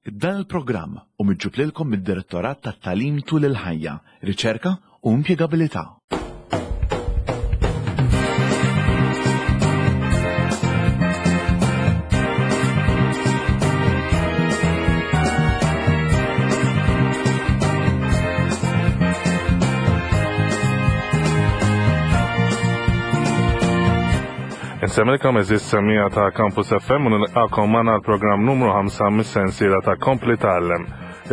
Dan il-programm hu miġġub lilkom mid-Direttorat tat-Tagħlim Tul il-Ħajja, Riċerka u Impjegabilità. Insemmilkom eżis semija ta' Campus FM u nilqakom magħna l-programm numru 5 mis-sensiela ta' Kompli Tgħallem.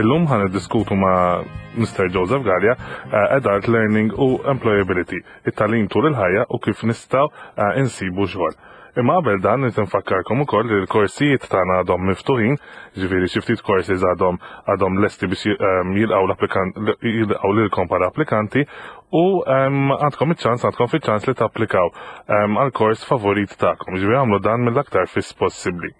Illum ħan niddiskutu ma' Mr. Joseph Gallia eh, Adult Learning u Employability, it-tagħlim tul il-ħajja u kif nistgħu eh, insibu xogħol. Imma qabel dan nrid infakkarkom ukoll li l-korsijiet tagħna għadhom miftuħin, ġifieri xi ftit courses għadhom għadhom lesti biex ehm, jilqgħu l-applikant jilqgħu lilkom bħala applikanti u ehm, għandkom iċ-ċans għandkom fiċ-ċans li tapplikaw ehm, għal kors favorit tagħkom. Ġifieri għamlu dan mill-aktar fis possibbli.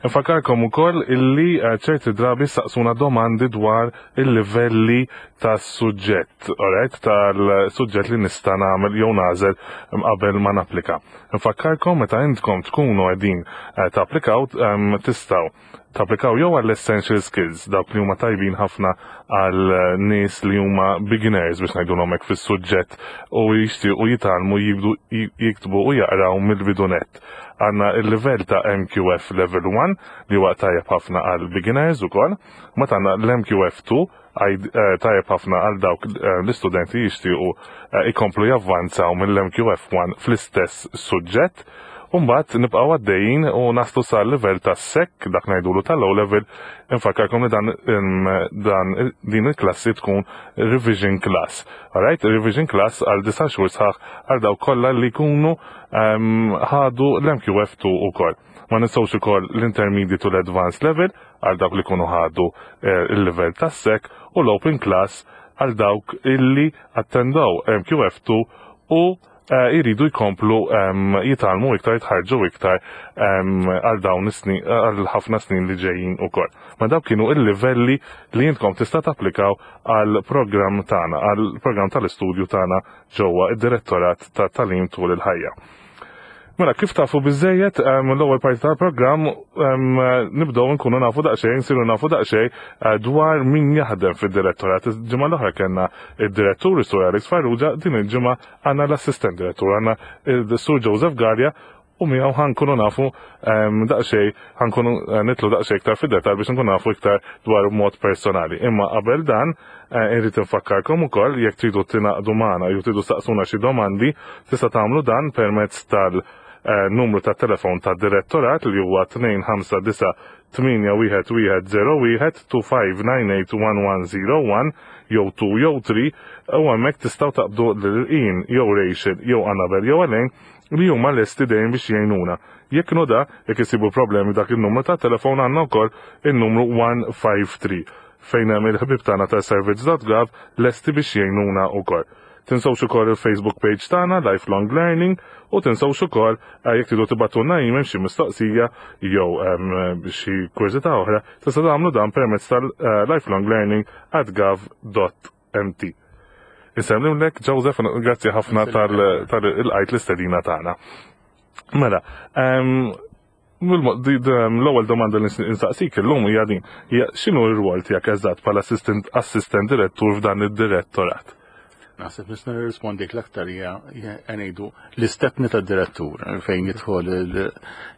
Nfakkarkom ukoll illi eh, ċerti drabi saqsuna domandi dwar il-livelli tas-suġġett, alright, tal-suġġett li nista' nagħmel jew nagħżel qabel ma napplika. Nfakkarkom meta intkom tkunu qegħdin eh, tapplikaw ehm, tistgħu tapplikaw jew għall essential skills dawk li huma tajbin ħafna għal nies li huma beginners biex ngħidulhom hekk fis-suġġett u jixtiequ jitgħallmu jibdu jiktbu u jaqraw mill-bidu nett. Għandna il-livell ta' MQF Level 1 li huwa tajjeb ħafna għal beginners ukoll, mbagħad għandna l-MQF 2 eh, tajjeb ħafna għal dawk eh, l-istudenti jixtiequ eh, ikomplu javvanzaw mill-MQF 1 fl-istess suġġett. Umbat nibqgħu għaddejjin u naslu sal livell ta' sek, dak ngħidulu tal-low level, infakkarkom li dan, dan din il-klassi tkun revision class. Alright, revision class għal disa' xhur sħaħ għal dawk kollha li jkunu ħadu l-MQF2 ukoll. Ma nistgħux ukoll l-intermediate u l-advanced level għal dawk li jkunu ħadu eh, il-level tas-sek u l-open class għal dawk illi attendew MQF2 u eh, jridu jkomplu jitgħallmu iktar, jitħarġu iktar għal dawn is-snin, għal ħafna snin li ġejjin ukoll. Ma dawk kienu il-livelli li intkom tista' tapplikaw għal programm tagħna, għal programm tal-istudju tagħna ġewwa id-Direttorat ta' Tagħlim Tul il-Ħajja. Mela, kif tafu biżejjed l-ewwel parti tal-programm nibdew nkunu nafu daqsxejn, nsiru nafu daqsxejn eh, dwar min jaħdem fid-direttorat. Il-ġimgħa l-oħra kellna id-direttur is-Sur Alex Farrugia, din il-ġimgħa għandna l-assistent direttur, għandna il-Sur Joseph Gallia u miegħu ħankunu nafu ehm, daqsxejn ħankunu eh, nitlu daqsxejn iktar fid-dettall biex nkunu nafu iktar dwar mod personali. Imma qabel dan eh, irrid infakkarkom ukoll jekk tridu tingħaqdu magħna jew tridu staqsuna xi domandi, tista' tagħmlu dan permezz tal eh, numru ta' telefon ta' direttorat li huwa 259 81101 25981101 jew 2 jew 3 u hemmhekk tistgħu taqbdu lil Ian jew Rachel jew Annabel jew Elaine li huma lesti dejjem biex jgħinuna. Jekk inhu da, jekk isibu problemi dak in-numru ta' telefon għandna wkoll in-numru 153 fejn hemm il-ħbieb tagħna ta' servizz.gov lesti biex jgħinuna wkoll. Tinsewx ukoll il-Facebook page tagħna Lifelong Learning u tinsewx ukoll eh, jekk tridu tibgħatulna email xi mistoqsija jew ehm, xi kurżità oħra, tista' tagħmlu dan permezz tal-lifelonglearning eh, at gov.mt. Insellimlek, Joseph, grazzi ħafna tal-qajt l-istedina tagħna. Mela, l-ewwel domanda li nsaqsik illum hija din, hija x'inhu r-rwol tiegħek eżatt bħala assistent direttur f'dan id-direttorat? Naħseb nista' nirrispondik l-aktar hija ngħidu l-istepni tad-direttur fejn jidħol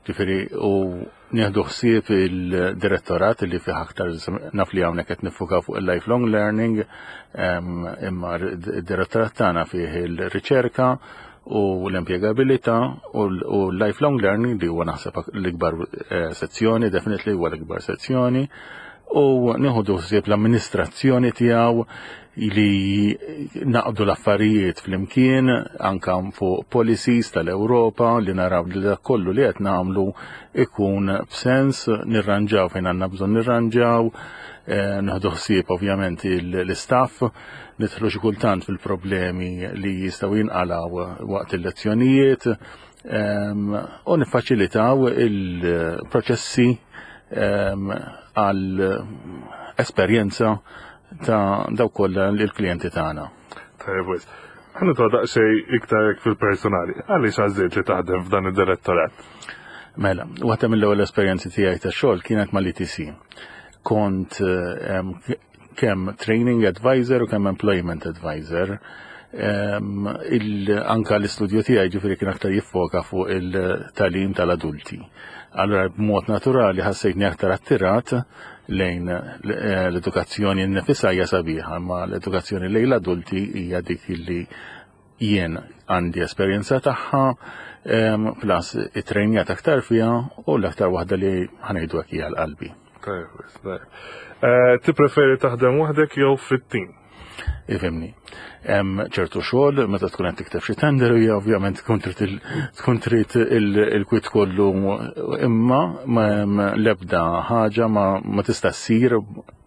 ġifieri u Nieħdu ħsieb il-direttorat li fih aktar naf li hawnhekk qed nifukaw fuq il-lifelong learning, imma d-direttorat tagħna fih il-riċerka u l-impjegabilità u l-lifelong learning li huwa naħseb l-ikbar eh, sezzjoni, definitely huwa l-ikbar sezzjoni, u nieħdu ħsieb l-amministrazzjoni tiegħu li naqdu l-affarijiet flimkien anka fuq policies tal-Ewropa li naraw li dak kollu li qed nagħmlu ikun b'sens nirranġaw fejn għandna bżonn nirranġaw, eh, nieħdu ħsieb ovvjament l-istaff, nidħlu xi kultant fil-problemi li jistgħu jinqalgħu waqt il-lezzjonijiet ehm, u niffaċilitaw il-proċessi ehm, għal esperjenza ta' dawk kollha l-klijenti tagħna. Tajjeb wis. Ħa nidħol daqsxejn iktar hekk fil-personali. Għaliex għażilt li taħdem f'dan id-direttorat? Mela, waħda mill-ewwel esperjenzi tiegħi ta' xogħol kienet mal-ETC. Kont kemm training advisor u kemm employment advisor. Anka l-istudju tiegħi ġifieri kien aktar jiffoka fuq il-tagħlim tal-adulti. Allura b'mod naturali ħassejtni aktar attirat lejn l-edukazzjoni nnifisha hija sabiħa, ma l-edukazzjoni lejn l-adulti hija dik li jien għandi esperjenza tagħha, plus it-trejnjat aktar fiha u l-aktar waħda li ħanejdu hekk hija l-qalbi. Tippreferi taħdem waħdek jew fit-tim? Ifhimni. Hemm ċertu xogħol meta tkun qed tikteb xi tender hija ovvjament tkun trid il-kwit kollu imma l-ebda ħaġa ma tista' ssir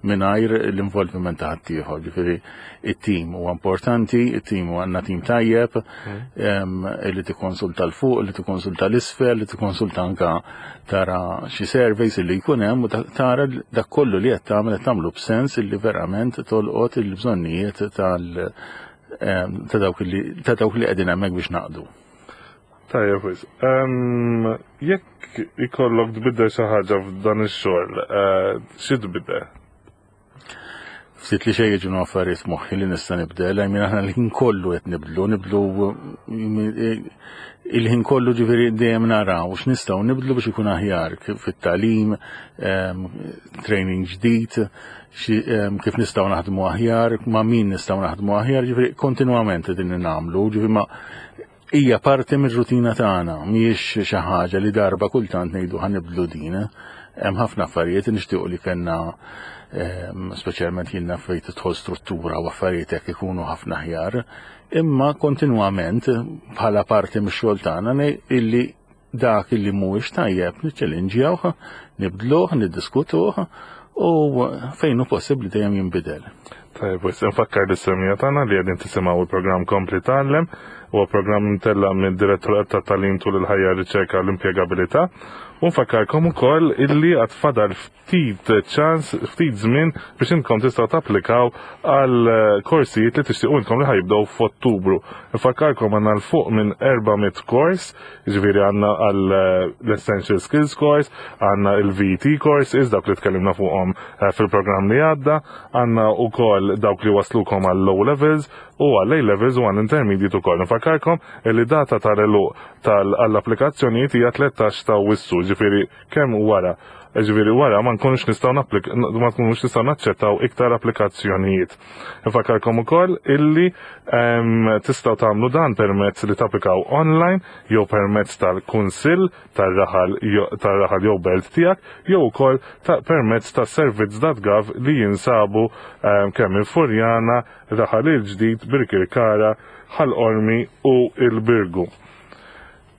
mingħajr l-involviment ta' ħaddieħor. Ġifieri it-tim huwa importanti, it-tim huwa għandna tim tajjeb, li tikkonsulta l fuq, li tikkonsulta l-isfel, li tikkonsulta anka tara xi surveys li jkun hemm u tara dak kollu li qed tagħmel qed tagħmlu b'sens li verament tolqot il-bżonnijiet tal ta' dawk li ta' dawk li qegħdin hemmhekk biex naqdu. Tajjeb wis. Jekk ikollok tbiddel xi ħaġa f'dan ix-xogħol, eh, xi tbiddel? Ftit li xejn jiġu affarijiet moħħi li nista' nibdel, għajmin aħna l-ħin kollu qed nibdlu, nibdlu il-ħin kollu ġifieri dejjem naraw x'nistgħu nibdlu biex ikun aħjar fit-tagħlim, training ġdid, kif nistgħu naħdmu aħjar, ma' min nistgħu naħdmu aħjar, ġifieri kontinwament qegħdin nagħmlu, ġifieri ma' Hija parti mir-rutina tagħna, mhijiex xi ħaġa li darba kultant ngħidu ħa nibdlu din. Hemm ħafna affarijiet li nixtiequ li kellna ehm, speċjalment jien naf fejn tidħol struttura u affarijiet hekk ikunu ħafna aħjar, imma kontinwament bħala parti mix-xogħol tagħna illi dak illi mhuwiex tajjeb niċċelinġjawh, nibdluh, niddiskutuh u fejn hu possibbli dejjem jinbidel. Tajjeb, wis nfakkar lis-semija tagħna li qegħdin tisimgħu il-programm Kompli Tgħallem, huwa programm imtella' mid-Direttorat ta' Tagħlim tul il-Ħajja Riċerka u l-Impjegabilità. U nfakkarkom ukoll illi għad fadal ftit ċans, ftit żmien biex intkom tistgħu tapplikaw għal korsijiet li tixtiequ intkom li ħajibdew f'Ottubru. Nfakkarkom għandna l fuq minn 400 kors, jiġifieri għandna għal l-Essential Skills Course, għandna il-VT courses, dawk li tkellimna fuqhom eh, fil-programm li għadda, għandna wkoll dawk li waslukom għal low levels u għal A levels u għal intermediate ukoll. Nfakkarkom li data tal-eluq tal-applikazzjonijiet hija 13 ta' Awwissu, ġifieri kemm wara. Ġifieri wara ma nkunux nistgħu ma nkunux nistgħu naċċettaw iktar applikazzjonijiet. Nfakkarkom ukoll illi ehm, tistgħu tagħmlu dan permezz li tapplikaw online jew permezz tal-kunsill tar-raħal tar-raħal jew belt tiegħek jew ukoll ta' permezz ta' servizz.gov li jinsabu ehm, kemm il-Furjana, Raħal il-Ġdid, Birkirkara, Ħal Qormi u il-Birgu.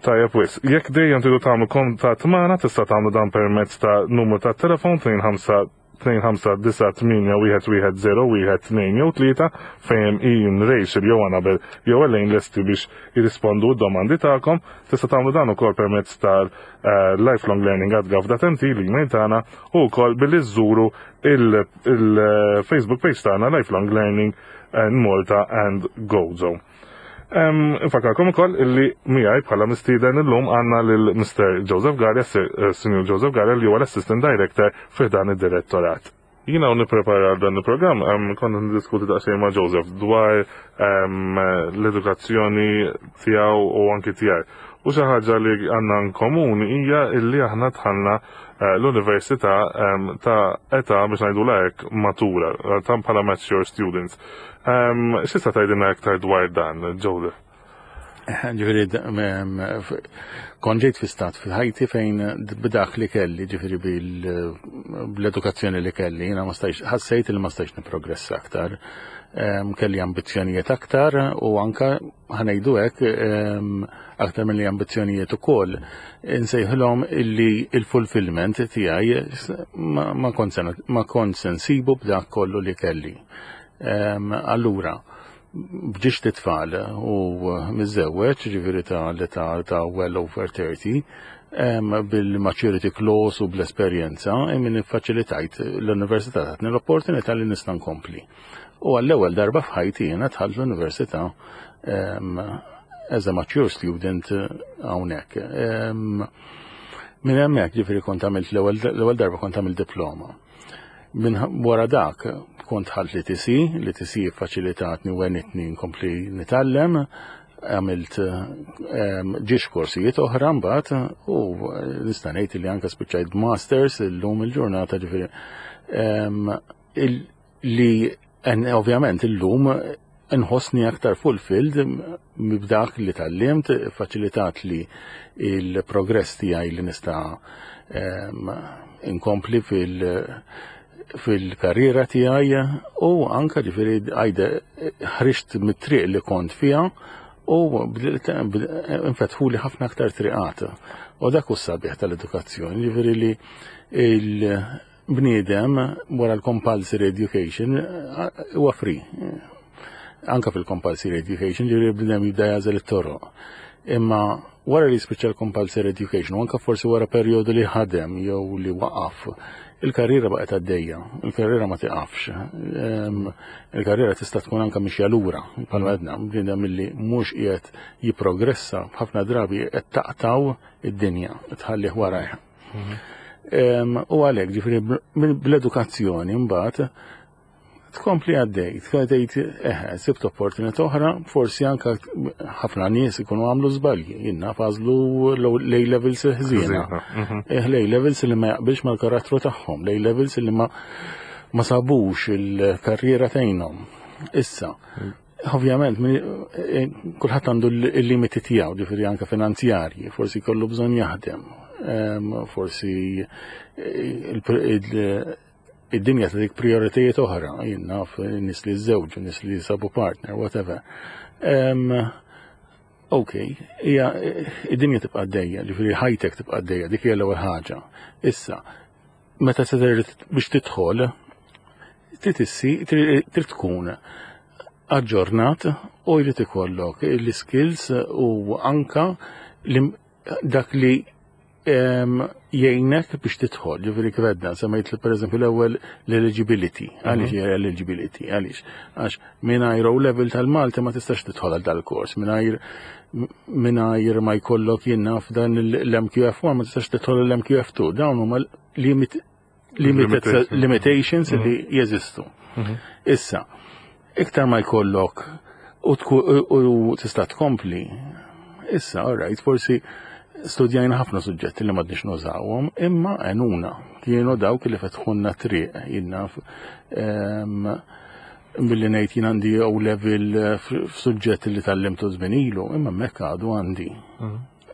Tajjeb wisq. Jekk dejjem tridu tagħmlu kuntatt magħna tista' tagħmlu dan permezz ta' numru ta' telefon 25981101 jew 3 fejn hemm Ian, Rachel jew Annabel jew Elaine lesti biex jirrispondu d-domandi tagħkom. Tista' tagħmlu dan ukoll permezz tal eh, lifelonglearning@gov.mt l-email tagħna u wkoll billi żżuru il-Facebook page tagħna Lifelong Learning in Malta and Gozo. Infakarkom ukoll illi miegħi bħala mistieden illum għandna lil Mr. Joseph Galea, eh, Sr. Joseph Galea li huwa l-Assistant Director fi dan id-direttorat. Jina u nipprepara dan il-programm, konna niddiskuti daqsxejn ma' Joseph dwar l-edukazzjoni tiegħu u anki tiegħi. U xi ħaġa li għandna komuni hija illi aħna dħalna eh, l-università ta' età biex ngħidu hekk matura, ta' bħala mature students. X'tista' tgħidilna aktar dwar dan, Joseph? Ġifieri, kont ġejt fi stat fil-ħajti fejn b'dak li kelli, ġifieri bl-edukazzjoni li kelli, jiena ma stajx, ħassejt li ma stajx niprogressa aktar. Kelli ambizzjonijiet aktar u anka ħanejdu hekk aktar milli ambizzjonijiet ukoll insejħilhom illi il-fulfillment tiegħi ma kont se nsibu b'dak kollu li kelli. Allura, bġiex titfal u miżżewweġ, ġifieri ta' l-età ta' well over 30, bil-maturity clause u bl-esperjenza, min iffaċilitajt l-università tatni l-opportunità li nista' nkompli. U għall-ewwel darba f'ħajti jiena dħalt l-università as a mature student hawnhekk. Minn hemmhekk ġifieri kont għamilt l-ewwel darba kont għamilt diploma. Minn wara dak kont ħalt l-ITC, l-ITC faċilitatni u għenitni nkompli nitgħallem, għamilt ġiex korsijiet oħra mbagħad u nista' ngħid li anke spiċċajt masters illum il-ġurnata ġifieri li ovvjament illum nħossni aktar fulfilled b'dak li tgħallimt, faċilitat li il-progress tiegħi li nista' inkompli fil-karriera tiegħi u anka ġifieri għajde ħriġt mit-triq li kont fiha u infetħuli ħafna aktar triqat. U dak hu sabiħ tal-edukazzjoni, ġifieri li il-bniedem wara l-compulsory education huwa free. Anka fil-compulsory education ġifieri l-bniedem jibda jagħżel it-toroq. Imma wara li jispiċċa l-compulsory education, u anka forsi wara perjodu li ħadem jew li waqaf, il-karriera baqgħet għaddejja, il-karriera ma tiqafx. Il-karriera tista' tkun anka mixja lura, bħalma għedna, bniedem illi mhux qiegħed jipprogressa ħafna drabi qed taqtaw id-dinja, tħallih warajha. U għalhekk ġifieri bl-edukazzjoni mbagħad tkompli għaddej, tgħid eħe, sibt opportunità oħra, forsi anka ħafna nies ikunu għamlu żbalji, jiena għażlu l-A levels ħżiena. L-A levels li ma jaqbilx mal-karattru tagħhom, l-A levels li ma sabux il-karriera tgħinhom. Issa, ovvjament, kulħadd għandu l-limiti tiegħu, ġifieri anke finanzjarji, forsi kollu bżonn jaħdem, forsi id-dinja ta' dik prioritajiet oħra, jien naf nies li żewġu, nies li sabu partner, whatever. Ok, hija id-dinja tibqa' għaddejja, ġifieri ħajtek tibqa' għaddejja, dik hija l-ewwel ħaġa. Issa, meta se biex tidħol, trid tkun aġġornat u jrid ikollok l-skills u anka dak li jgħinek biex tidħol, ġifieri kif għedna, semmejt li pereżempju l-ewwel l-eligibility. Għaliex hija eligibility? Għaliex? Għax mingħajr O level tal-Malti ma tistax tidħol għal dal-kors, mingħajr ma jkollok jien naf dan l-MQF1 ma tistax tidħol l-MQF2. Dawn huma limitations li jeżistu. Issa, iktar ma jkollok u tista' tkompli, issa, all right, forsi studjajna ħafna suġġetti li m'għadniex nużawhom, imma għenuna kienu dawk li fetħunna triq, jien naf billi ngħid jien għandi O level f'suġġett li tgħallimtu żmien ilu, imma hemmhekk għadu għandi.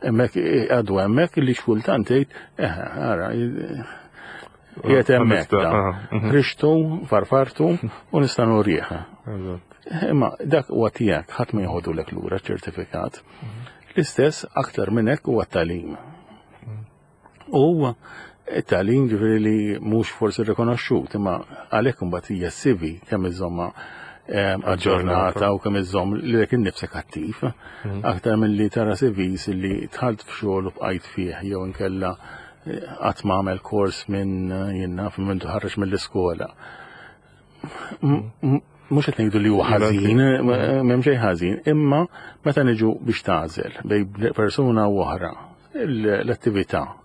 Hemmhekk għadu hemmhekk li xkultant tgħid, eħe, ara, qiegħed hemmhekk. Ħriġtu, farfartu u nista' nurih. Imma dak huwa tiegħek, ħadd ma jieħodulek lura ċertifikat. L-istess aktar minn hekk huwa t-tagħlim. U it-tagħlim ġifieri li mhux forsi rikonoxxut, imma għalhekk imbagħad hija CV kemm iżomma aġġornata u kemm iżomm lilek innifsek attiv, aktar milli tara CVs li dħalt f'xogħol u bqajt fih jew inkella qatt ma għamel kors minn jien naf minn tħarreġ mill-iskola. Mhux qed ngħidu li huwa ħażin, m'hemm xejn ħażin, imma meta niġu biex tagħżel bejn persuna u oħra l-attività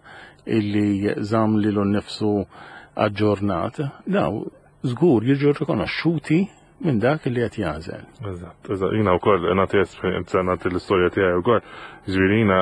illi żamm lilu nnifsu aġġornat, daw żgur jiġu rikonoxxuti minn dak li qed jagħżel. Eżatt, eżatt. Jiena wkoll nagħti esperjenza nagħti l-istorja tiegħi wkoll. Ġifieri jiena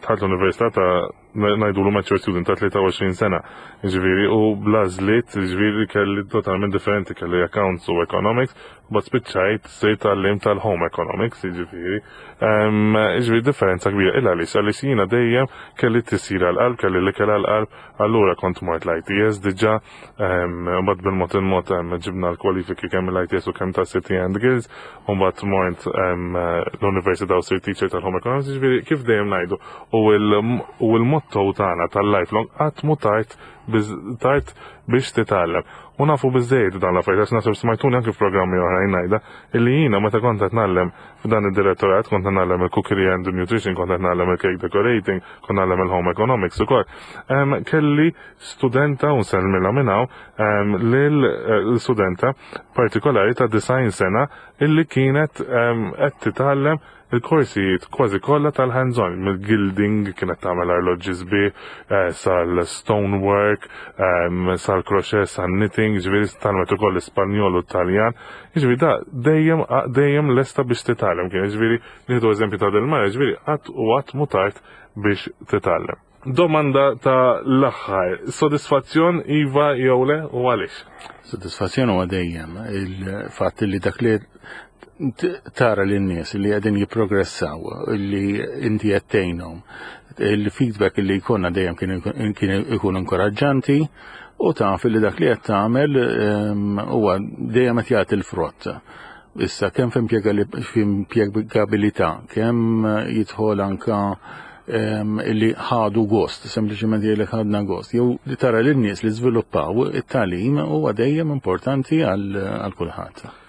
dħalt l-università ta' ngħidulu mature student ta' 23 sena. Ġifieri u bl-għażliet ġifieri kelli totalment differenti kelli accounts u economics, but spiċċajt sirt għallim tal-home economics, ġifieri. Ġifieri differenza kbira illa għaliex għaliex jiena dejjem kelli tisir għal-qalb, kelli l-ikel għal-qalb, allura kont mort l-ITS diġà, mbagħad bil-mod il-mod ġibna l-kwalifiki kemm l-ITS u kemm ta' City and Guilds, u mbagħad mort l-Università u sirt teacher tal-Home Economics, ġifieri kif dejjem ngħidu, u l-motto tagħna tal-lifelong qatt mhu tard tard biex titgħallem. U nafu biżejjed dan l-affarijiet għax naħseb smajtuni anke f'programmi oħrajn ngħidha illi jiena meta kont qed ngħallem f'dan id-direttorat kont ngħallem il-cookery and nutrition, kont qed ngħallem il-cake decorating, kont ngħallem il-home economics ukoll. Kelli studenta u nsellmilha minn hawn lil studenta partikolari ta' 90 sena illi kienet qed titgħallem. il-korsijiet kważi kollha tal-hands-on, mill-gilding kienet tagħmel arloġġi sbieħ, eh, sal-stonework, ehm, sal-crochet, sal-knitting, ġifieri tgħallmet ukoll l-Ispanjol u t-Taljan. Ġifieri da dejjem dejjem lesta biex titgħallem kien, ġifieri nieħdu eżempju ta' del-mara, ġifieri qatt u qatt mhu tard biex titgħallem. Domanda ta' l-aħħar, sodisfazzjon iva jew le u għaliex? Sodisfazzjon huwa dejjem il-fatt li dak li tara lin-nies li qegħdin jipprogressaw, li inti qed tgħinhom, il-feedback li jkollna dejjem kien ikun inkoraġġanti u taf li dak li qed tagħmel ehm, huwa dejjem qed jagħti l-frott. Issa kemm f'impjegabilità, kemm jidħol anka li ħadu gost, sempliċement jgħidlek ħadna gost, jew li tara lin nies li żviluppaw it-tagħlim huwa dejjem importanti għal kulħadd.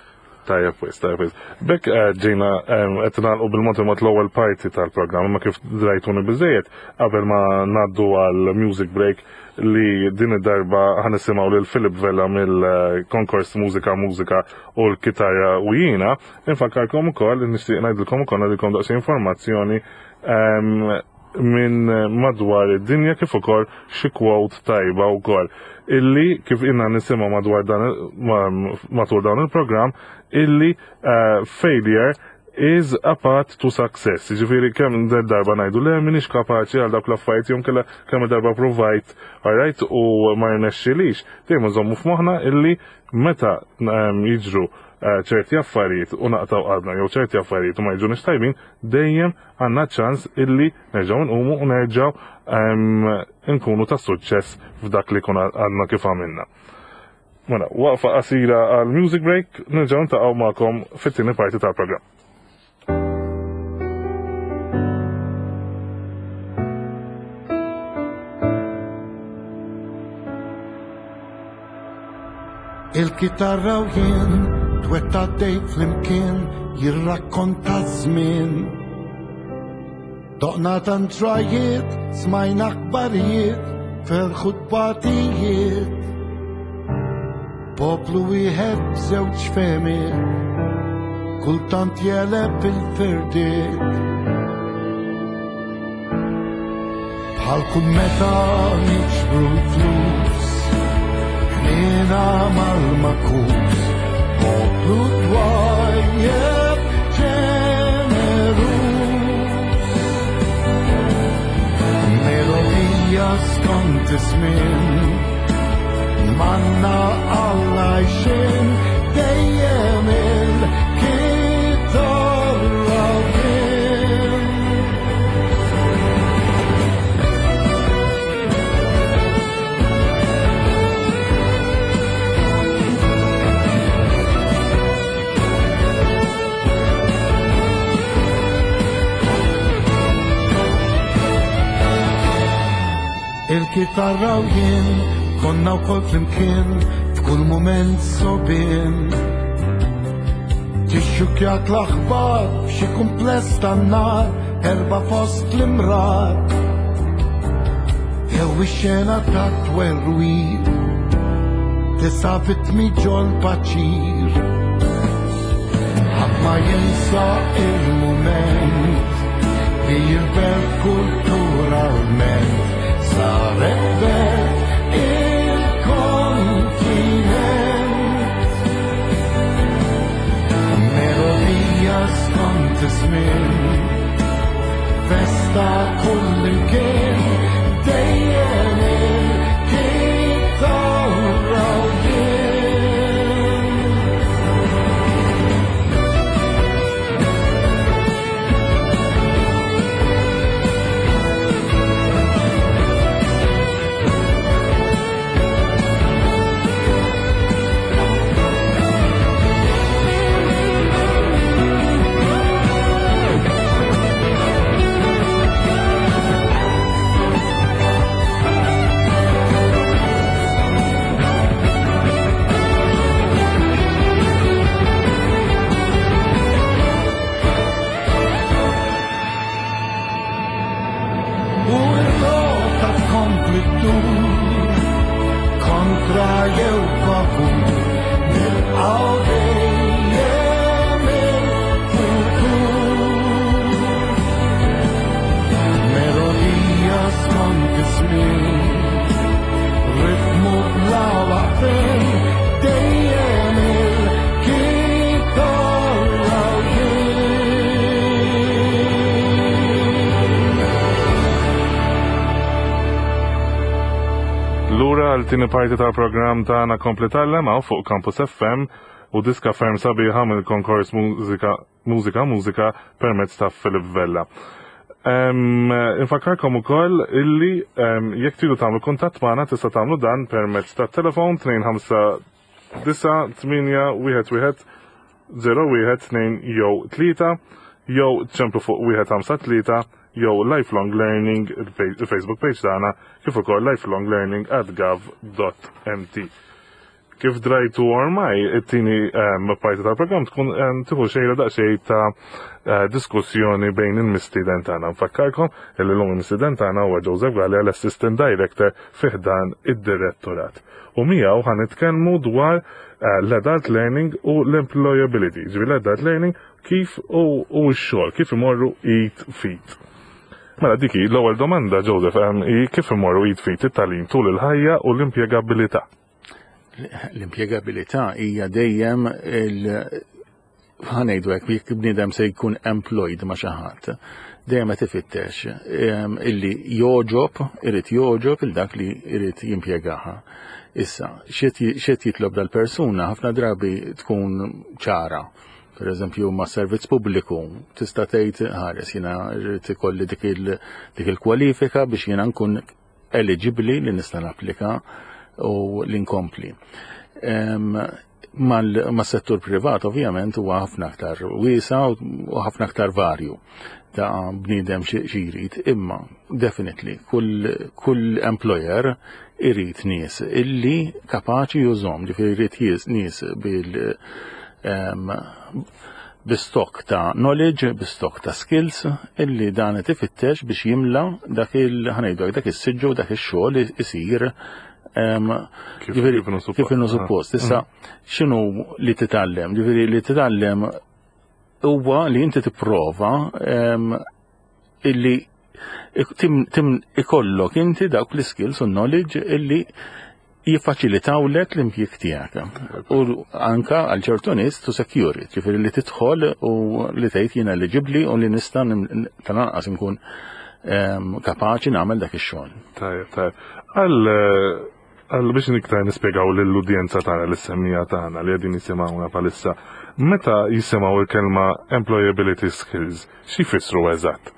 Tajjeb wis, tajjeb wis. Bekk eh, ġejna qed nagħlqu bil-mod il-mod l-ewwel parti tal-programm, ma kif drajtuni biżejjed qabel ma ngħaddu għal music break li din id-darba ħanisimgħu lil Philip Vella mill-konkors Mużika Mużika u l-kitarra u jiena, infakkarkom ukoll nixtieq ngħidilkom ukoll ngħidilkom daqsxejn informazzjoni minn madwar id-dinja kif ukoll xi quote tajba wkoll illi kif inna nisimgħu madwar dan matul dan il-programm illi eh, failure is a path to success. Ġifieri kemm darba ngħidu le m'iniex kapaċi għal dawk l-affarijiet jew kellha kemm darba provajt, alright, u ma rnexxilix. Dejjem nżommu f'moħħna illi meta jiġru eh, ċerti affarijiet u naqtaw qalbna jew ċerti affarijiet u ma jiġunix tajbin, dejjem għandna ċans illi nerġgħu nqumu u nerġgħu nkunu ta' suċċess f'dak li kun għadna kif għamilna. Mela, waqfa qasira għal music break, nerġgħu ntaqgħu magħkom fit-tieni parti tal-programm. Il-kitarra u jien twetta dej flimkien jirrakkonta żmien. Doqna tant ġrajiet, smajna aħbarijiet, ferħu tbatijiet. Poplu wieħed b'żewġ fehmiet, kultant jeleb il-firdiet. Bħal kull meta niġbru l-flus, ħnina mal-makus, poplu twajjeb ġenerus. Melodija skont iż-żmien, manna għall-għajxien, dejjem il-kitarra kien. Il-kitarra u jien konna wkoll flimkien f'kull mument sobien. Tixxukjak l-aħbar f'xi kumpless tan-nar erba' fost l-imrar. Jew ix-xena ta' twerwir tisa' vittmi ġol paċir. Ħadd ma jinsa il-mument li l-belt kulturalment saret belt il-kontinent. Melodija skont iż-żmien, festa kull imkien, dejjem il-kitarra u jien. għal tieni parti tal-programm tagħna Kompli Tgħallem hawn fuq Campus FM u diska ferm sabiħa mill-konkors Mużika Mużika Mużika permezz ta' Philip Vella. Infakkarkom ukoll illi jekk tridu tagħmlu kuntatt magħna tista' tagħmlu dan permezz tat-telefon 259 8 1 1 0 1 2 jew 3 jew ċemplu fuq 153 jew Lifelong Learning il-Facebook page tagħna kif ukoll lifelonglearning at gov.mt. Kif drajtu ormai, it-tieni ehm, parti tal-programm tkun ehm, tieħu xejra daqsxejn ta' eh, diskussjoni bejn il-mistieden tagħna. Nfakkarkom li llum il-mistieden tagħna huwa Joseph Galea l-Assistant Director fi ħdan id-Direttorat. U miegħu ħa nitkellmu dwar eh, l-adult learning u l-employability. Ġifieri l-adult learning kif u x-xogħol, kif imorru id fit. Mela dik hi l-ewwel domanda Joseph ehm, hi kif imorru id fit it-tagħlim tul il-ħajja u l-impjegabilità. L-impjegabilità hija dejjem il ħa ngħidu hekk jekk bniedem se jkun employed ma' xi ħadd, dejjem qed ifittex ehm, illi jogħġob, irid jogħġob il dak li irid jimpjegaha. Issa, x'qed jitlob dal-persuna ħafna drabi tkun ċara. Per eżempju, ma' servizz pubbliku, tista' tgħid ħares jiena rrid ikolli dik il-kwalifika biex jiena nkun eligibbli li nista' napplika u li nkompli. Mas-settur privat ovvjament huwa ħafna aktar wiesa u ħafna aktar varju ta' bniedem xi jrid, imma definitely kull, kull employer irid nies illi kapaċi jużhom, ġifieri jrid nies bil bi stock ta' knowledge, bi stock ta' skills illi dan qed ifittex biex jimla dak il ħa ngħidu dak is-siġġu dak ix-xogħol isir kif inhu suppost. Issa mm. x'inhu li titgħallem? Ġifieri li titgħallem huwa li inti tipprova illi tim ikollok inti dawk l-skills u knowledge illi jiffaċilitawlek l-impjieg tiegħek. U anka għal ċertu nies to secure it, ġifieri li tidħol u li tgħid jien eligibbli u li nista' tal-anqas inkun ehm, kapaċi nagħmel dak ix-xogħol. Tajjeb, tajjeb. Għal għal biex niktar nispjegaw lill-udjenza tagħna lis-semmija tagħna li qegħdin jisimgħuna bħalissa, meta jisimgħu l-kelma employability skills, xi jfissru eżatt?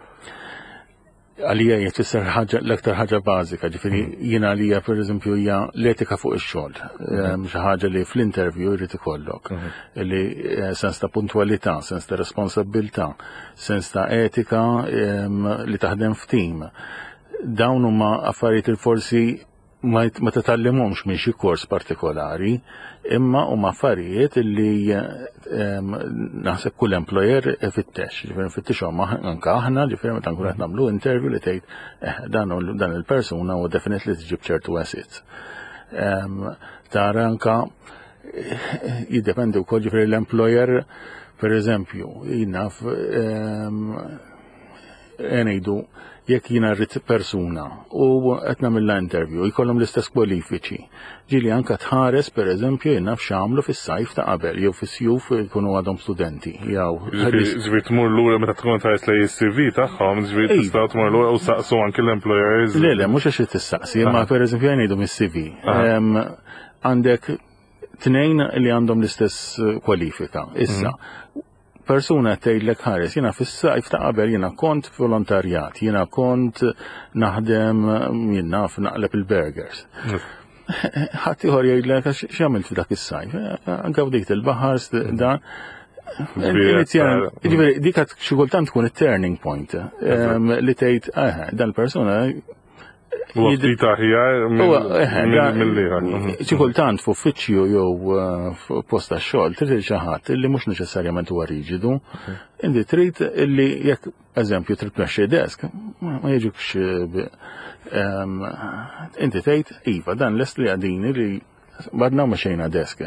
Għalija hija tfisser ħaġa l-aktar ħaġa bażika, ġifieri mm. jiena għalija pereżempju hija l-etika fuq ix-xogħol, mm. ehm, xi ħaġa li fl-interview jrid ikollok, mm. li eh, sens ta' puntwalità, sens ta' responsabilità, sens ta' etika ehm, li taħdem f'tim. Dawn huma affarijiet li forsi ma titgħallimhomx minn xi kors partikolari, imma huma affarijiet li ehm, naħseb kull employer ifittex, ġifieri nfittixhom anke aħna, ġifieri meta nkunu qed nagħmlu interview li tgħid eh, dan dan il-persuna huwa definitely tġib ċertu assets. Ehm, tara anka eh, jiddependi wkoll ġifieri l-employer per eżempju, jien naf ehm, ngħidu jekk jiena rrid persuna u qed nagħmilha interview jkollhom l-istess kwalifiċi. Ġieli anka tħares pereżempju jien naf x'għamlu fis-sajf ta' qabel jew fis-sjuf jkunu għadhom studenti. Jew Ġifieri tmur lura meta tkun tħares lejn is-CV tagħhom, ġifieri tista' tmur lura u saqsu anki l-employers. Le, le, mhux għax tistaqsi, imma pereżempju ngħidu mis-CV. Għandek tnejn li għandhom l-istess kwalifika. Issa, mhm. persuna tgħidlek ħares, jiena fis-sajf ta' qabel jiena kont volontarjat, jiena kont naħdem jien naf naqleb il-burgers. Ħadd ieħor jgħidlek għax x'għamilt f'dak is-sajf, anke f'dik il-baħar dan. Ġifieri dik xi kultant tkun it-turning point li tgħid eh, dan il-persuna Huwa ftit aħjar mill-ieħor. Xi kultant f'uffiċċju jew eh, f'post tax-xogħol trid xi ħadd illi mhux neċessarjament huwa riġidu. Inti trid illi jekk eżempju trid tmexxi desk, ma jiġukx eh, inti tgħid iva dan lest li għadini li Badna ma xejna desk.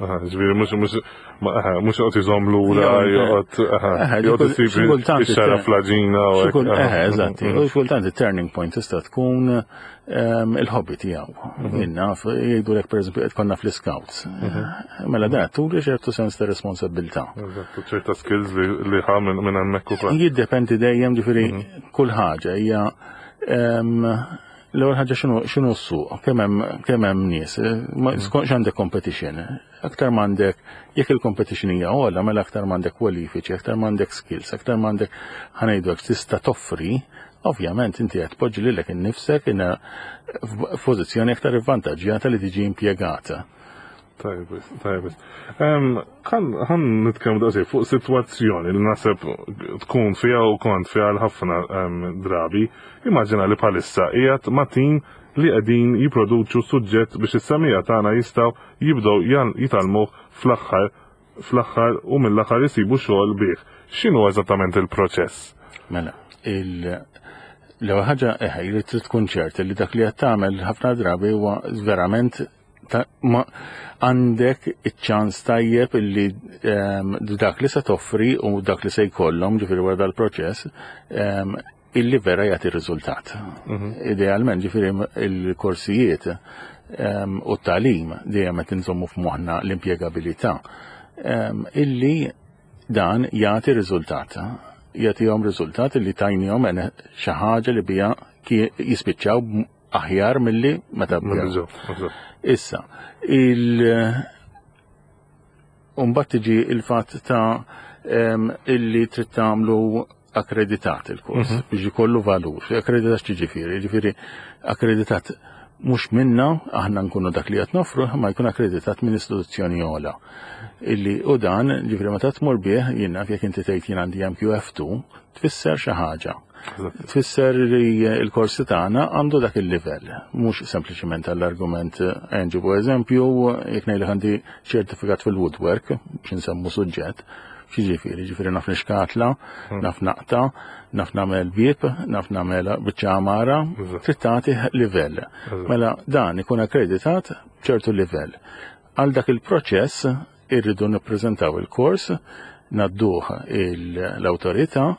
Ġifieri mhux mhux mhux joqgħod iżomm lura, joqgħod joqgħod isib ix-xara fl-għaġina. Eħe, eżatt. U kultant it-turning point tista' tkun ehm, il-hobby tiegħu. Mhm. Jien naf, jgħidulek pereżempju qed konna fl-scouts. Mhm. Mela dan turi ċertu sens ta' responsabilità. Eżatt, ċerta skills li ħa minn hemmhekk ukoll. Jiddependi dejjem ġifieri mhm. kull ħaġa hija ehm, L-ewwel ħaġa x'inhu s-suq, kemm hemm nies, skont x'għandek competition. Aktar m'għandek, jekk il-competition hija ogħla, mela aktar m'għandek kwalifiċi, aktar m'għandek skills, aktar m'għandek ħa ngħidu hekk tista' toffri, ovvjament inti qed tpoġġi lilek innifsek f'pożizzjoni aktar ivvantaġġjata li tiġi impjegata. Tajjeb, tajjeb. Ħan nitkellmu daqsxejn fuq sitwazzjoni li naħseb tkun fiha u kont fiha l-ħafna drabi. Immaġina li bħalissa qiegħed ma' tim li qegħdin jipproduċu suġġett biex is-semija tagħna jistgħu jibdew jitgħallmuh fl-aħħar fl-aħħar u mill-aħħar isibu xogħol bih. X'inhu eżattament il-proċess? Mela, l-ewwel ħaġa eħe li trid tkun ċert li dak li qed tagħmel ħafna drabi huwa verament ma għandek iċ-ċans tajjeb illi dak li se toffri u dak li se jkollhom ġifieri wara dal-proċess illi vera jagħti riżultat. Idealment ġifieri il-korsijiet u t-tagħlim dejjem qed inżommu f'moħħna l-impjegabilità illi dan jagħti riżultat. Jagħtihom riżultat illi tajnihom xi ħaġa li biha jispiċċaw aħjar milli meta bdew. Issa, il Umbat tiġi il-fatt ta' illi trid tagħmlu akkreditat il-kors biex ikollu valur. Akkreditat x'ġifieri? Ġifieri akkreditat mhux minna aħna nkunu dak li qed nofru, ma jkun akkreditat minn istituzzjoni ogħla. Illi u dan, ġifieri meta tmur bih, jien naf jekk inti tgħid jien għandi MQF2, tfisser xi ħaġa. Tfisser li l-korsi tagħna għandu dak il-livell, mhux sempliċement għall-argument nġibu eżempju, jekk ngħidlek għandi ċertifikat fil-woodwork, biex nsemmu suġġett, x'jiġifieri, ġifieri naf nixkatla, naf naqta, naf nagħmel bieb, naf nagħmel biċċa għamara, trid tagħti livell. Mela dan ikun akkreditat b'ċertu livell. Għal dak il-proċess irridu nippreżentaw il-kors, ngħadduh l-awtorità,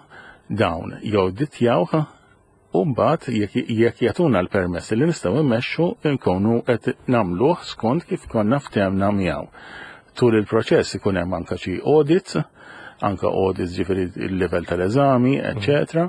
dawn jawditjawh u mbagħad jekk jagħtuna l-permess li nistgħu mmexxu nkunu qed nagħmluh skont kif konna ftehmna miegħu. Tul il-proċess ikun hemm anke xi audits, anke audits ġifieri il-livell tal-eżami, eċċetera,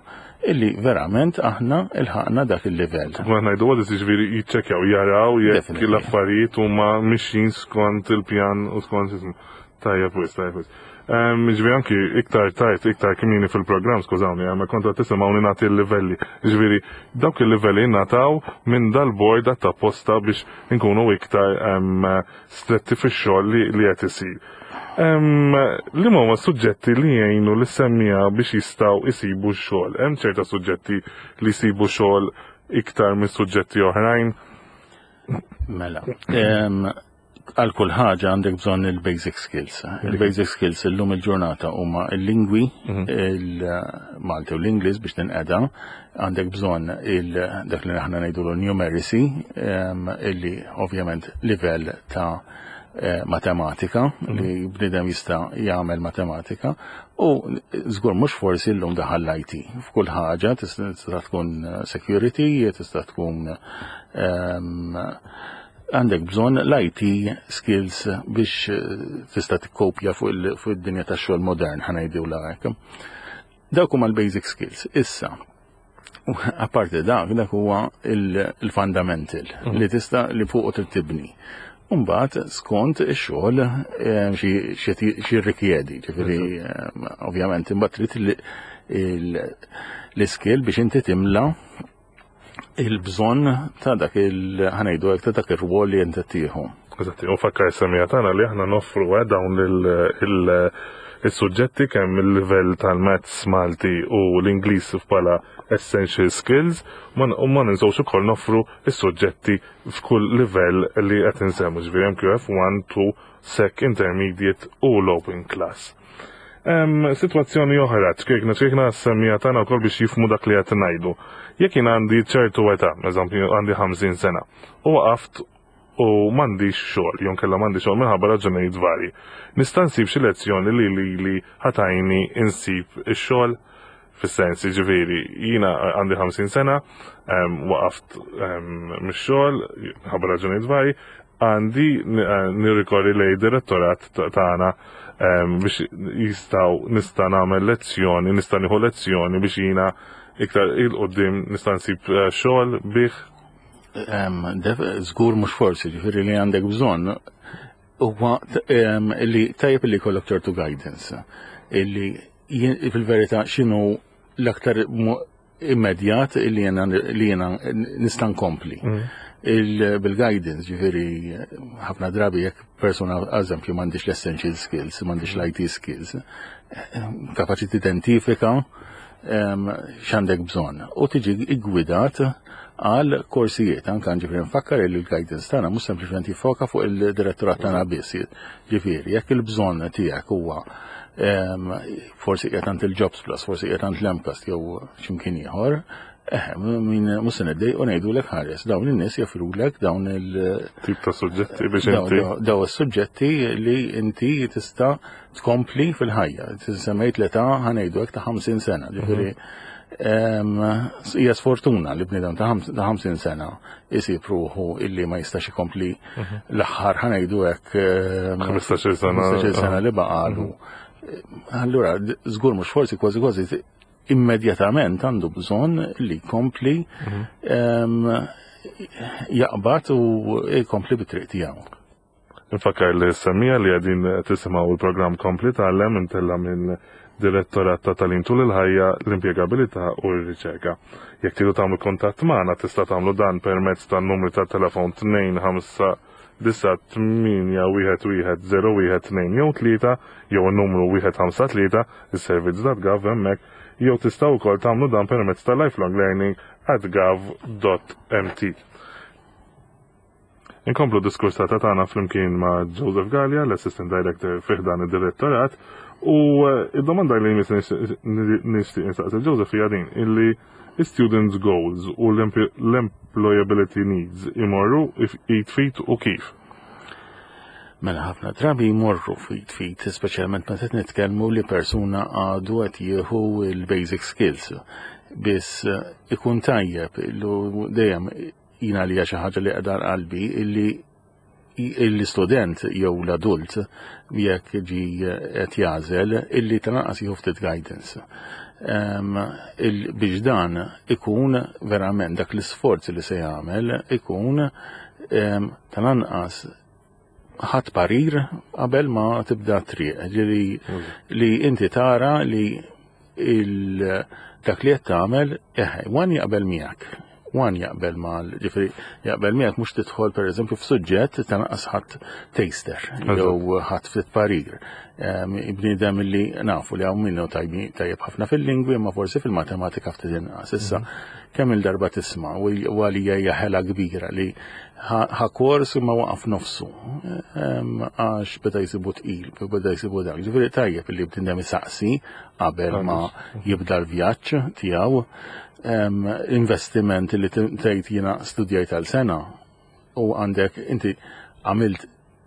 illi verament aħna ilħaqna dak il-livell. Ma ngħidu audits ġifieri jiċċekkjaw, jaraw jekk l-affarijiet huma mixjin skont il-pjan u skont ismu. Tajjeb wis, tajjeb wis. Ġifieri anki iktar tard, iktar kmieni fil-programm, skużawni, ma kont qed tisimgħuni nagħti l-livelli. Ġifieri dawk il-livelli ngħataw minn dal-bord apposta biex inkunu iktar stretti fix-xogħol li qed isir. Li huma suġġetti li jgħinu lis-semmiegħa biex jistgħu jsibu x-xogħol? Hemm ċerta suġġetti li jsibu xogħol iktar minn suġġetti oħrajn? Mela, għal kull ħaġa għandek bżonn il-basic skills. Il-basic skills illum il-ġurnata huma il-lingwi, il-Malti u l-Ingliż biex tinqeda, għandek bżonn dak li aħna ngħidulu numeracy, illi ovvjament livell ta' matematika li bniedem jista' jagħmel matematika u żgur mhux forsi llum daħal l-IT f'kull ħaġa tista' tkun security, tista' tkun għandek bżonn l-IT skills biex tista' tikkopja fuq id-dinja tax-xogħol modern ħa ngħidu hekk. Dawk huma l-basic skills. Issa, apparti dak, dak huwa il-fundamental li tista' li fuq trid tibni. Mbagħad skont ix-xogħol xi rrikjedi, ġifieri ovvjament imbagħad trid l-iskill biex inti timla il-bżonn ta' dak il ħa ngħidu hekk ta' dak ir-rwol li inti tieħu. Eżatti, u fakkar semija tagħna li aħna noffru dawn il-suġġetti kemm il-livell tal-Maths Malti u l-Ingliż bħala essential skills, u ma ninsewx ukoll noffru is-suġġetti f'kull livell li qed insemmu, ġifieri MQF 1, 2, Sec, Intermediate u l-Open Class. Situazzjoni oħra, ċkejkna ċkejkna semmija tagħna wkoll biex jifhmu dak li qed ngħidu. Jekk jien għandi ċertu età, eżempju għandi 50 sena, u waqaft u m'għandix xogħol, jew kellha m'għandi xogħol minħabba raġunijiet varji. Nista' nsib xi lezzjoni li li ħa tgħinni insib ix-xogħol fis-sens, jiġifieri jiena għandi 50 sena, waqaft mix-xogħol minħabba raġunijiet varji, għandi nirrikorri lej direttorat tagħna biex jistgħu nista' nagħmel lezzjoni, nista' nieħu lezzjoni biex jiena iktar il-qudiem nista' nsib xogħol bih. Żgur mhux forsi, ġifieri li għandek bżonn huwa li tajjeb li jkollok ċertu guidance illi fil-verità x'inhu l-aktar immedjat li jena li jena nista' nkompli. Bil-guidance, ġifieri ħafna drabi jekk persuna, eżempju, m'għandix l-essential skills, m'għandix l-IT skills, kapaċi tidentifika x'għandek bżonn u tiġi iggwidat għal korsijiet. Anka ġifieri nfakkar li l-guidance tagħna mhux sempliċement jiffoka fuq il-direttorat tagħna biss. Ġifieri jekk il-bżonn tiegħek huwa forsi qiegħed għand il-Jobs Plus, forsi qiegħed għand l-MCAST jew x'imkien ieħor, min mhux se niddejqu ngħidulek ħares, dawn in-nies joffrulek dawn il- tip ta' suġġetti biex inti. Daw is-suġġetti li inti tista' tkompli fil-ħajja. Semmejt l-età ħa ngħidu hekk ta' 50 sena, ġifieri hija sfortuna li bniedem ta' 50 sena isib ruħu illi ma jistax ikompli l-aħħar ħa ngħidu hekk 15-il sena. 15-il sena li baqalu. Allura, żgur mhux forsi kważi kważi immedjatament għandu bżonn li jkompli jaqbad u jkompli bit-triq tiegħu. Nfakkar li s-semmiegħa li qegħdin tisimgħu il-programm Kompli Tgħallem imtella' minn Direttorat ta' Tagħlim Tul il-Ħajja, l-Impjegabilità u r-Riċerka. Jekk tridu tagħmlu kuntatt magħna tista' tagħmlu dan permezz tan-numri tat-telefon 2 5 9 8 1 1 0 1 2 jew 3 jew in-numru 1 5 3 is-servizz.gov hemmhekk jew tistgħu wkoll tagħmlu dan permezz ta' lifelonglearning at gov.mt. Inkomplu d-diskursata tagħna flimkien ma' Joseph Galea, l-Assistant Director fi ħdan id-Direttorat, u eh, id-domanda li jmiss nixtieq insaqsi Joseph hija din illi students goals u l-employability needs imorru id fit u kif. Mela ħafna drabi jmorru fit fit, speċjalment meta qed nitkellmu li persuna għadu qed jieħu l-basic skills. Biss eh, ikun tajjeb dejjem Jien għalija xi ħaġa li qiegħda qalbi illi l-istudent jew l-adult jekk ġi qed jagħżel illi tal-anqas jieħu ftit guidance. Biex dan ikun verament dak l-isforz li se jagħmel ikun tal-anqas ħadd parir qabel ma tibda triq. Ġieli li inti tara li dak li qed tagħmel, eħe, wan jaqbel miegħek. Wan jaqbel mal, ġifieri jaqbel miegħek mhux tidħol pereżempju f'suġġett ta' naqas ħadd taster jew ħadd ftit parir. Bniedem li nafu li hawn minnu tajjeb ħafna fil-lingwi imma forsi fil-matematika ftit inqas. Issa, mhm. kemm il-darba tisma' u għalija hija ħela kbira li ħa kors imma waqaf nofsu għax beda jsibu tqil, beda jsibu dak. Ġifieri tajjeb li bniedem isaqsi qabel ma jibda l-vjaġġ tiegħu. Investiment li tgħid jiena studjajt għal sena u għandek inti għamilt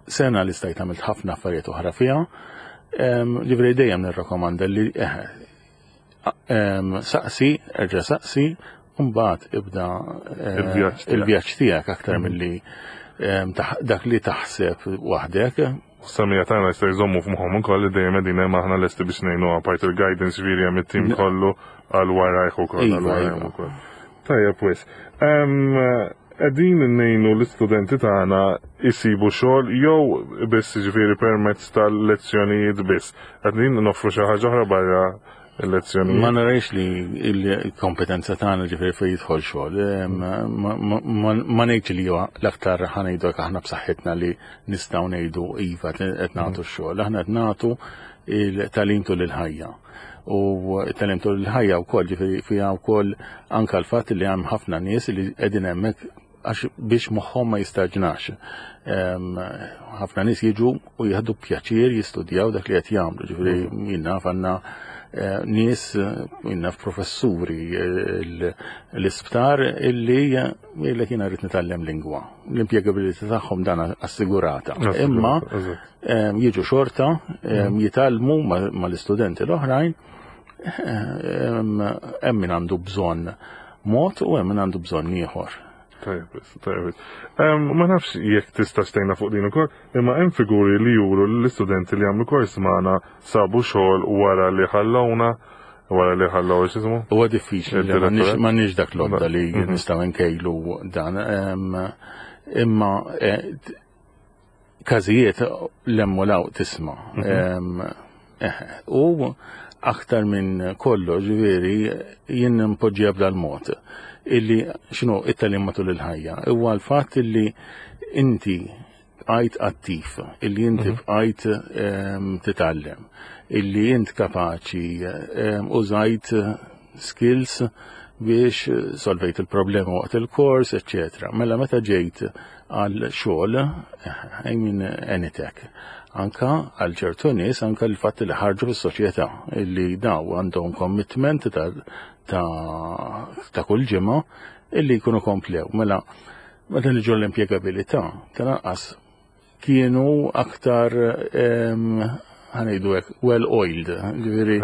sena li stajt għamilt ħafna affarijiet oħra fiha. Ġifieri dejjem nirrakkomanda li eh, Saqsi, erġa' saqsi, mbagħad ibda eh, il-vjaġġ tiegħek aktar mhm. milli dak li taħseb waħdek. Samija tagħna jista' jżommu f'moħħhom ukoll li dejjem qegħdin hemm aħna lesti biex ngħinu apart il-guidance ġifieri hemm it-tim kollu għal warajh ukoll għal iva, warajhom iva. ukoll. Tajjeb wis. Qegħdin ngħinu l-istudenti tagħna jsibu xogħol jew biss jiġifieri permezz tal-lezzjonijiet biss. Qegħdin noffru xi ħaġa oħra barra l-lezzjonijiet. Ma narajx li l-kompetenza tagħna ġifieri fejn jidħol xogħol. Ma ngħidx li huwa l-aktar ħa ngħidu hekk aħna b'saħħitna li nistgħu ngħidu iva qed nagħtu x-xogħol. Aħna qed nagħtu il-tagħlim tul il-ħajja. U t-tagħlim tul il-ħajja wkoll ġifieri fiha wkoll anke l-fatt li hemm ħafna nies li qegħdin hemmhekk għax biex moħħhom ma jistaġnax. Ħafna nies jiġu u jieħdu pjaċir jistudjaw dak li qed jagħmlu, ġifieri mm. jien naf għandna eh, nies jien naf professuri eh, l-isptar illi jgħidlek jiena rrid nitgħallem lingwa. L-impjegabilità tagħhom dan assigurata. Imma jiġu xorta, mhm. jitgħallmu mal-istudenti l-oħrajn, hemm min għandu bżonn mod u hemm min għandu bżonn ieħor. Tajjeb, tajjeb. Ma nafx jekk tista' xtejna fuq din ukoll, imma hemm figuri li juru l-istudenti li għamlu kors magħna sabu xogħol wara li ħallowna. wara li ħallew x'ismu? Huwa diffiċli li m'għandniex dak l-għodda li nistgħu nkejlu dan. Imma każijiet l-hemm u law tisma'. U aktar minn kollox, ġifieri, jien npoġġiha b'dal-mod illi x'inhu it-tagħlim matul il-ħajja. Huwa l-fatt illi inti bqajt attiv, illi inti bqajt titgħallem, illi int kapaċi użajt skills biex solvejt il-problema waqt il-kors, eccetera. Mela meta ġejt għal xogħol, I mean anything. Anka għal ċertu nies, anka l-fatt li ħarġu fis-soċjetà, illi daw għandhom commitment ta' kull ġimgħa illi jkunu komplew. Mela, meta niġu l-impjegabilità, tal-anqas kienu aktar ħa ngħidu hekk well-oiled, ġifieri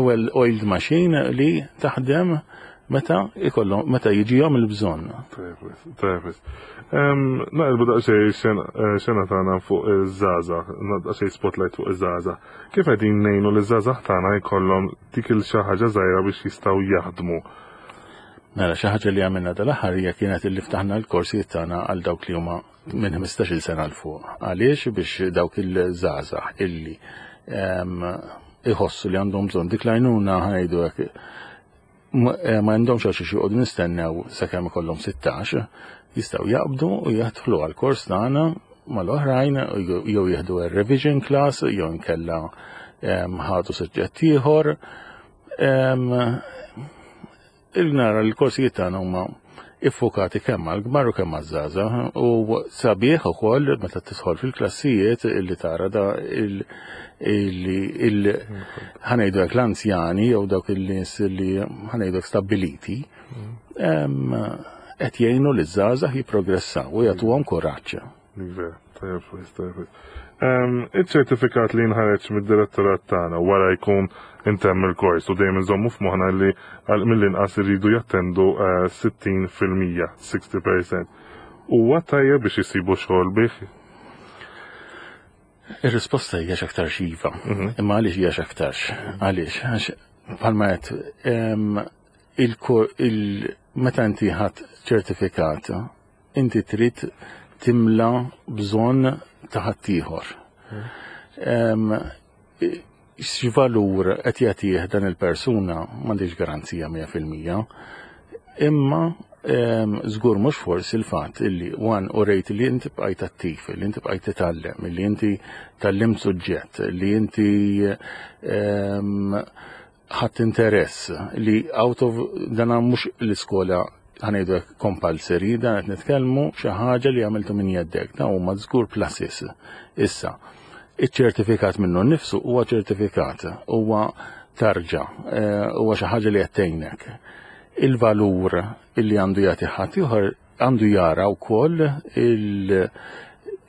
well-oiled machine li taħdem meta ikollhom meta jiġihom il-bżonn. Tajjeb. Naqilbu daqsxejn xena tagħna fuq iż-żgħażagħ, daqsxejn spotlight fuq iż-żgħażagħ. Kif qegħdin ngħinu li ż-żgħażagħ tagħna jkollhom dik il xi ħaġa żgħira biex jistgħu jaħdmu? Mela xi ħaġa li għamilna dal-aħħar hija kienet illi ftaħna l-korsijiet tagħna għal dawk li huma minn 15-il sena 'l fuq. Għaliex biex dawk il-żgħażagħ illi iħossu li għandhom bżonn dik l-għajnuna ħa ngħidu hekk ma għandhomx għal xiex joqogħdu nistennew sakemm ikollhom 16, jistgħu jaqbdu u jidħlu għall-kors tagħna mal-oħrajn jew jieħdu revision class jew inkella ħadu suġġett ieħor. Il-nara l-korsijiet tagħna huma iffokati kemm għall-kbar u kemm għaż-żgħażagħ u sabiħ ukoll meta tidħol fil-klassijiet illi tara da il ħa ngħidu hekk l-anzjani jew dawk il-nies li ħa ngħidu hekk stabbiliti qed jgħinu liż-żgħażagħ jipprogressaw u jagħtuhom kuraġġ. Iva, tajjeb wisq, tajjeb wisq. Iċ-ċertifikat li jinħareġ mid-direttorat tagħna wara jkun intemm il-kors u dejjem inżommu f'moħħna li mill-inqas iridu jattendu 60%, 60%. Huwa tajjeb biex isibu xogħol bih? Ir-risposta hija x'aktarx iva. Imma għaliex hija x'aktarx? Għaliex? Għax bħalma qed meta inti ħadd ċertifikat, inti trid timla bżonn ta' ħaddieħor. X'valur qed jagħtih dan il-persuna m'għandix garanzija 100%. Imma żgur mhux forsi l-fatt illi one u rejt li inti bqajt attiv, li inti bqajt titgħallem, li inti tgħallimt suġġett, li inti ħadd interess li out of dan mhux l-iskola ħa ngħidu hekk compulsory, dan qed nitkellmu xi ħaġa li għamiltu minn jeddek, dan huma żgur pluses. Issa, iċ-ċertifikat minnu nnifsu huwa ċertifikat, huwa tarġa, huwa xi ħaġa li qed tgħinek. Il-valur illi għandu jagħti ħadd ieħor għandu jara wkoll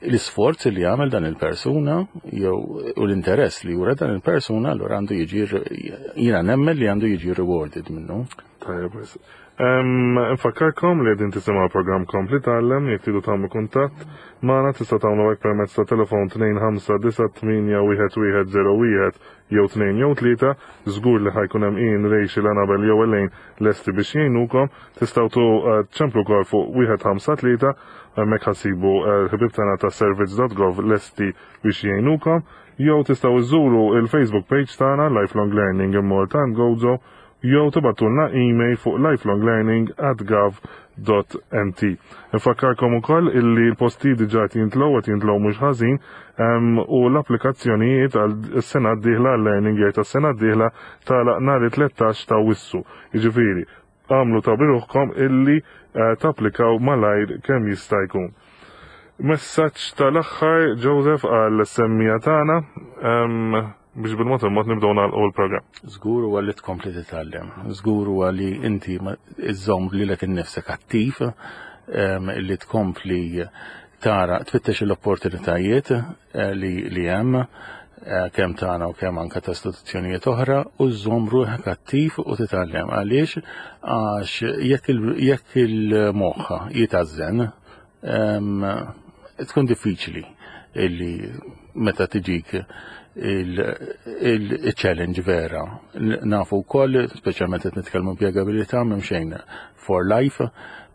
l-isforz li jagħmel dan il-persuna jew u l-interess li jura dan il-persuna, allura għandu jiġi, jiena nemmen li għandu jiġi rewarded minnu. Tajjeb, Nfakkarkom li qegħdin tisimgħu programm Kompli Tgħallem. Jekk tridu tagħmlu kuntatt magħna tista' tagħmlu hekk permezz ta' telefon 25981101 jew 2 jew 3, żgur li ħa jkun hemm Ian, Rachel, Annabel jew Elaine lesti biex jgħinukom. Tistgħu tu ċemplu wkoll fuq 153, hemmhekk ħa ssibu l-ħbieb tagħna ta' servizz.gov lesti biex jgħinukom. Jew tistgħu iżuru il-Facebook page tagħna Lifelong Learning in Malta and Gozo jew tibagħtulna email fuq lifelonglearning@gov.mt. Nfakkarkom ukoll illi l-postijiet diġà qed jintlew, qed jintlew mhux ħażin, u l-applikazzjonijiet għal sena d-dieħla, għal learning year tas-sena d-dieħla tagħlaq nhar it-13 ta' Awwissu. Jiġifieri, għamlu ta' biruħkom illi tapplikaw malajr kemm jista' jkun. Messaġġ tal-aħħar, Joseph, għal semmija tagħna biex bil-mod il-mod nibdew nagħlqu l-programm. Żgur huwa li tkompli titgħallem. Żgur huwa li inti iżżomm lilek innifsek attiv, li tkompli tara tfittex l-opportunitajiet li hemm kemm tagħna u kemm anke ta' istituzzjonijiet oħra u żżomm ruħek attiv u titgħallem. Għaliex? Għax jekk il-moħħ jitażżen, tkun diffiċli illi meta tiġik il-challenge vera. Nafu wkoll, speċjalment qed nitkellmu impjegabilità, m'hemm xejn for life,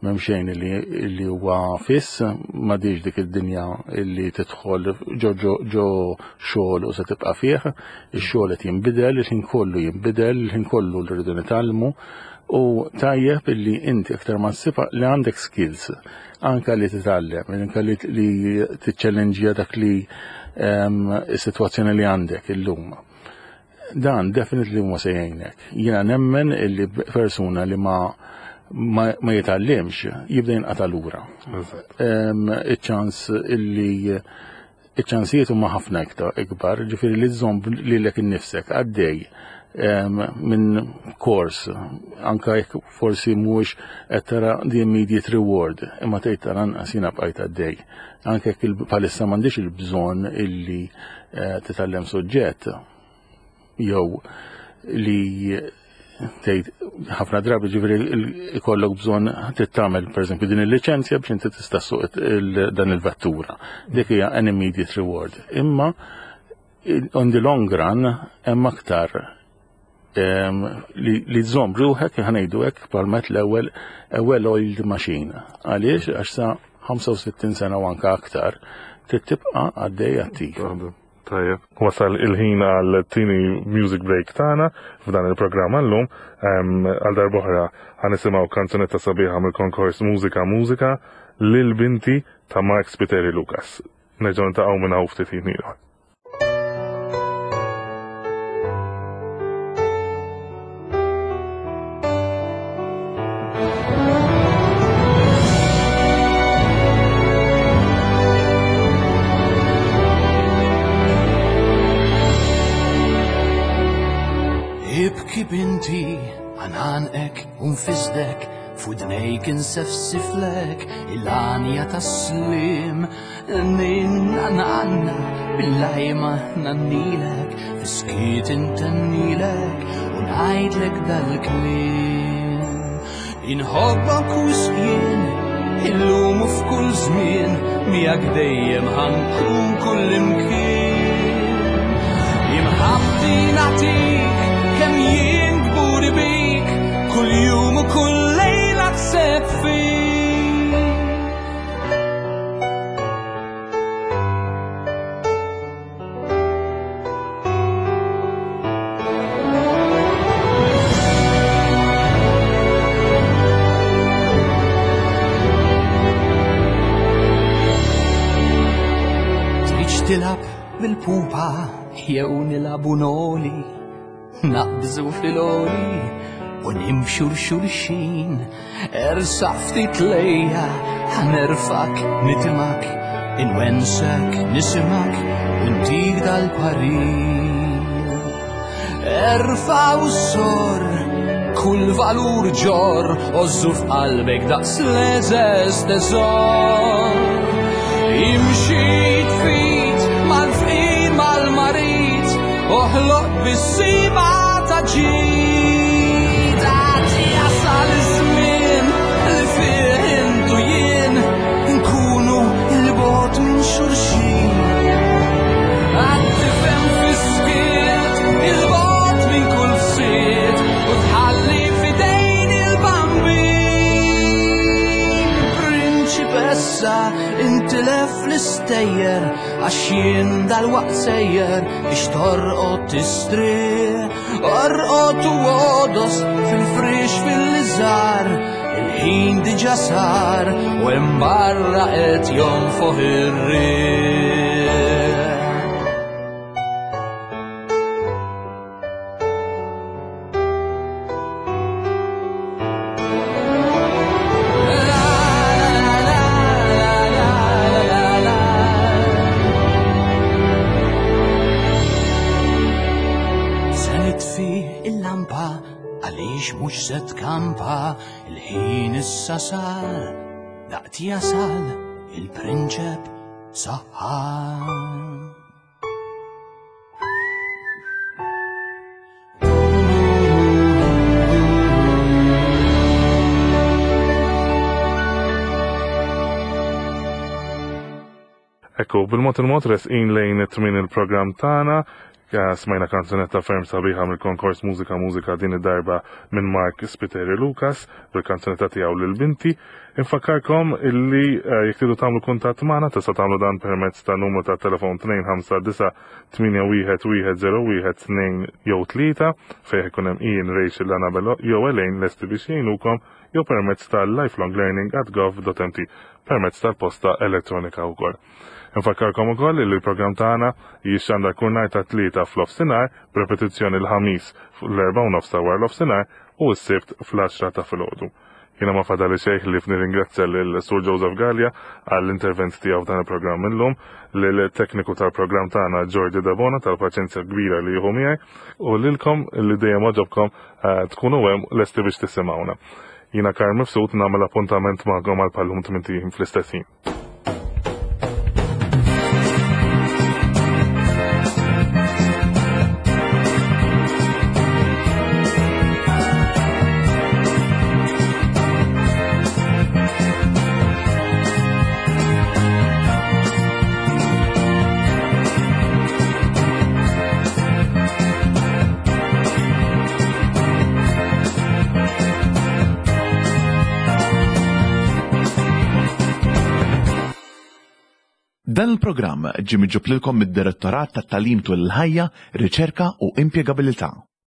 m'hemm xejn li huwa fiss, m'għadix dik id-dinja li tidħol ġo ġo xogħol u se tibqa' fih, ix-xogħol qed jinbidel, il-ħin kollu jinbidel, il-ħin kollu li rridu nitgħallmu u tajjeb illi inti aktar ma ssib li għandek skills anka li titgħallem, anka li tiċċellenġja dak li is-sitwazzjoni li għandek illum. Dan definitely huma se jgħinek. Jiena nemmen illi persuna li ma ma jitgħallimx jibda jinqata' lura. Iċ-ċans illi iċ-ċansijiet huma ħafna iktar ikbar, ġifieri li żżomm lilek innifsek għaddej minn kors, anka jekk forsi mhuwiex qed tara the immediate reward, imma tgħid tal-anqas jiena bqajt għaddej. Anke jekk bħalissa m'għandix il-bżonn illi titgħallem suġġett jew li tgħid ħafna drabi ġifieri ikollok bżonn tittamel pereżempju din il-liċenzja biex inti tista' ssuq dan il-vettura. Dik hija an immediate reward. Imma on the long run hemm aktar li tżomm ruħek ħanejdu hekk palmet l-ewwel a well-oiled machine. Għaliex għax sa 65 sena u anka aktar trid tibqa' għaddej attiv. Tajjeb. Wasal il-ħin għal tieni music break tagħna f'dan il-programm għallum. Għal darb'oħra ħanisimgħu kanzunetta sabiħa mill-konkors Mużika Mużika lil binti ta' Mark Spiteri Lucas. Nerġgħu niltaqgħu minn hawn ftit ħin ieħor. Ibki binti, għanqek u nfisdek, f'widnejk insefsiflek il-għanja tas-slim. Ninna nanna bil-lajma nannilek, fiskiet intennilek u ngħidlek dal-kliem. Inħobbok u jien, illum u f'kull żmien, miegħek dejjem ħankun kull imkien. Imħabbti nagħtik kemm jien kburi bik, kull jum u kull lejla kseb fik. Tridx tilab bil-pupa jew nilabu noli, naqbżu fil-oli u nimxu l-xulxin. Ersa ftit lejja, ħanerfak, nitimak, inwensek, nisimak, u ntik dal-parir. Erfa u sor, kull valur ġor, ożżu f'qalbek daqs leżes teżor. Imxi tfit mal-fqir mal-marit, oħloq bis-sima ta' ġid. Għad jasal iż-żmien li fih intu jien nkunu il-bogħod minn xulxin. Għad tifhem fis-skiet il-bogħod minn kull fsied u tħalli f'idejn il-bambin. Prinċipessa intilef l-istejjer għax jien dal-waqt sejjer biex torqod tistrieħ. Orqod u għodos fil-frix fil-liżar, il-ħin diġà sar u hemm barra qed jonfoħ ir-riħ. Se nitfi il-lampa għaliex mhux se tkampa, il-ħin issa sar, daqt jasal il-prinċep saħħar. Ekku, bil-mod il-mod resqin lejn it-tmien il-programm tagħna. Smajna kanzunetta ferm sabiħa mill-konkors Mużika Mużika din id-darba minn Mark Spiteri Lucas bil-kanzunetta tiegħu lil binti. Infakkarkom illi eh, jekk tridu tagħmlu kuntatt magħna tista' tagħmlu dan permezz ta' numru ta' telefon 259 81 1 jew 3 fejn ikun hemm Ian, Rachel, Annabella jew Elaine lesti biex jgħinukom jew permezz ta' lifelonglearning@gov.mt permezz tal-posta elettronika wkoll. Infakkarkom ukoll li l-programm tagħna jixxandar kull nhar ta' Tlieta f'nofsinhar, b'repetizzjoni l-Ħamis fl-erbgħa u nofs ta' waranofsinhar u s-Sibt fl-għaxra ta' filgħodu. Jiena ma fadali xejn ħlief nirringrazzja lil Sur Joseph Galea għall-intervent tiegħu f'dan il-programm illum, lill-tekniku tal-programm tagħna Jordi Debona tal-paċenzja kbira li jieħu miegħi u lilkom li dejjem għoġobkom eh, tkunu hemm lesti biex tisimgħuna. Jiena Karl Mifsud nagħmel appuntament magħkom għal pallum tmint fl-istess ħin. Dan il-programm ġie miġjub lilkom mid-Direttorat tat-Tagħlim Tul il-Ħajja, Riċerka u Impjegabilità.